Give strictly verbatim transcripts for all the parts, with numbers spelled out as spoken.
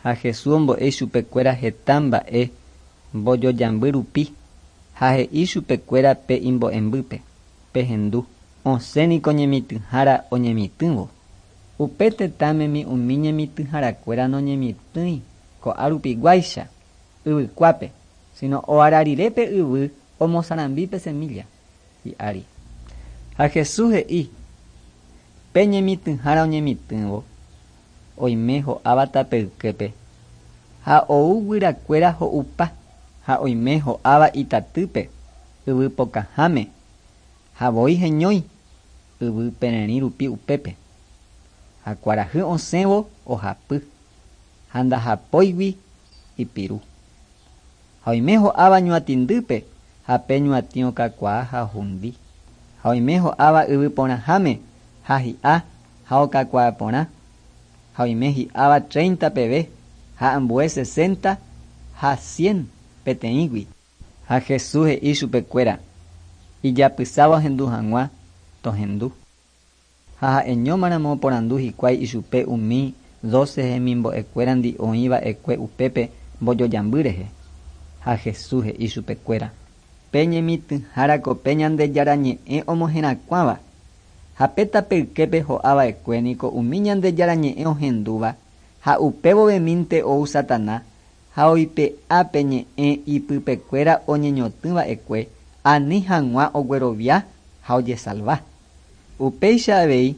Ha Jesús ombo'e ichupekuéra heta mba'e mbojojamby rupi ha he'i chupekuéra pe imbo'embýpe: Pehendu, osẽniko ñemitỹhára oñemitỹvo. Upe tetãmemi umi ñemitỹharakuéra noñemitỹi ko'árupiguáicha yvykuápe, sino oara rire pe yvy omosarambi pe semilla hi'ári. Ha Jesús he'i pe ñemitỹhára oñemitỹvo oime ho'áva tapeyképe ha ou guyrakuéra ho'upa ha oime ho'áva itatýpe yvy pokãháme ha voi heñói yvy pererĩ rupi upépe ha kuarahy osẽvo ohapy ha ndahapóigui ipiru ha oime ho'áva ñuatĩndýpe ha pe ñuatĩ okakuaa ha ohundi ha oime ho'áva yvy porãháme ha hi'a ha okakuaa porã ha oime hi'áva treinta peve ha ambue sesenta ha cien peteĩgui. Ha Jesús he'i chupekuéra ijapysáva ohendu hag̃ua tohendu. Ha ha'eñómaramo oporandu hikuái ichupe umi doce hemimbo'ekuérandi oĩva'ekue upépe mbojojamby rehe. Ha Jesús he'i chupekuéra: Pe ñemitỹhárako pe Ñandejára ñe'ẽ omoherakuãva ha pe tapeyképe ho'ava'ekue niko umi Ñandejára ñe'ẽ ohendúva ha upévovemínte ou Satana ha oipe'a pe ñe'ẽ ipypekuéra oñeñotỹva'ekue ani hag̃ua oguerovia ha ojesalva. Upéicha avei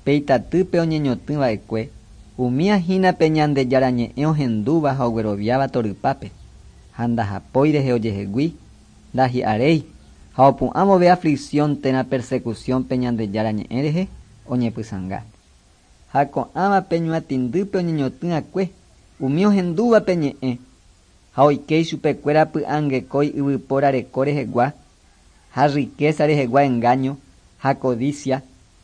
pe itatýpe oñeñotỹva'ekue umía hína pe Ñandejára ñe'ẽ ohendúva ha ogueroviáva torypápe ha ndahapói rehe ojehegui ndahi'aréi ha opu'ã vove aflicción térã persecución pe Ñandejára ñe'ẽ rehe oñepysãnga. Ha ko'ãva pe ñuatĩndýpe oñeñotỹakue umi ohendúva pe ñe'ẽ ha oike ichupekuéra py'angekói yvypóra reko rehegua ha riqueza rehegua engaño ha codicia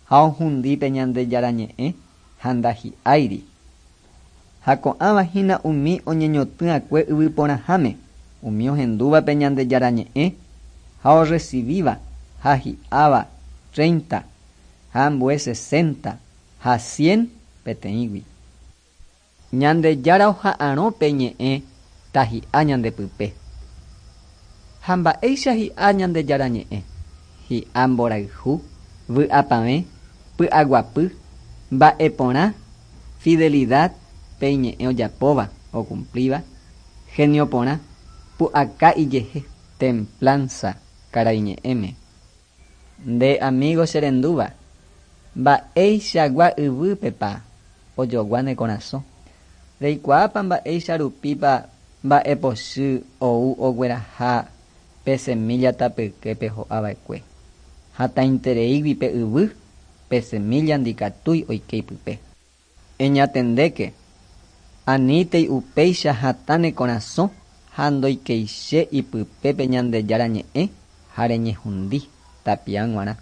ha ohundi pe Ñandejára ñe'ẽ ha ndahi'áiri. Ha ko'ãva hína umi oñeñotỹakue yvy porãháme umi ohendúva pe Ñandejára ñe'ẽ ha orecibíva ha hi'áva treinta ha ambue sesenta ha cien peteĩgui. Ñandejára oha'arõ pe ñe'ẽ tahi'a ñandepype. Ha mba'éicha hi'a Ñandejára ñe'ẽ? Hi'a mborayhu, vy'apavẽ, py'aguapy, mba'eporã, fidelidad pe iñe'ẽ ojapóva ocumplíva, genio porã, pu'aka ijehe, templanza karaiñe'ẽme. Nde amigo cherendúva, mba'eichagua yvýpepa ojogua ne korasõ. Reikuaápa mba'éicha rupípa mba'epochy ou ogueraha pe semilla tapyképe ho'ava'ekue. Hatãitereígui pe yvy, pe semilla ndikatúi oike ipype. Eñatendéke, anítei upéicha hatã ne korasõ ha ndoikeiche ipype pe Ñandejára ñe'ẽ ha reñehundi tapia g̃uarã.